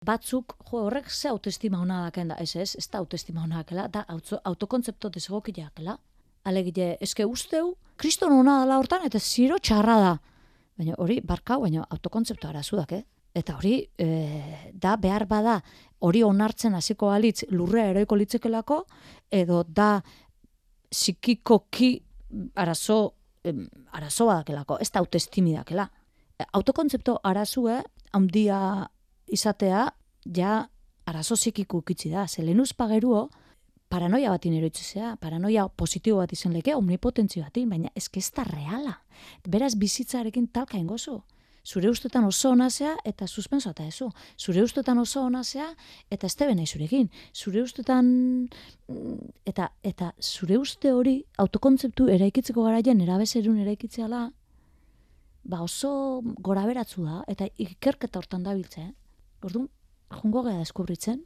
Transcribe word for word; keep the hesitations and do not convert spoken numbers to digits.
batzuk, jo, horrek ze autoestima hona daken da, ez ez, ez da autoestima hona dakela, da auto, autokontzepto desegokiakela. Alegide, eske usteu, kriston hona dela hortan, eta ziro txarra da. Baina hori, barkau, baina autokontzeptu arazudak, eh? Eta hori, e, da behar bada, hori onartzen hasiko alitz lurrea eroiko litzekelako, edo da psikikoki arazo, em, arazo badakelako, ez da autoestimi dakela. Autokontzeptu arazue, handia izatea, ja arazo psikiko ukitzi da. Zelenuz pageruo, paranoia batin eroitzea, paranoia positibo bat izan leke, omnipotentzio batin, baina eske ez da reala. Beraz bizitzarekin talka ingozu. Zure ustetan oso onazea eta suspenso eta ezu. Zure ustetan oso onazea eta ez tebe nahi zurekin. Zure ustetan eta, eta zure uste hori autokontzeptu eraikitzeko garaien erabezerun eraikitzeala, ba oso gora beratzu da, eta ikerketa hortan da biltze. Eh? Orduan, jungo gara deskubritzen,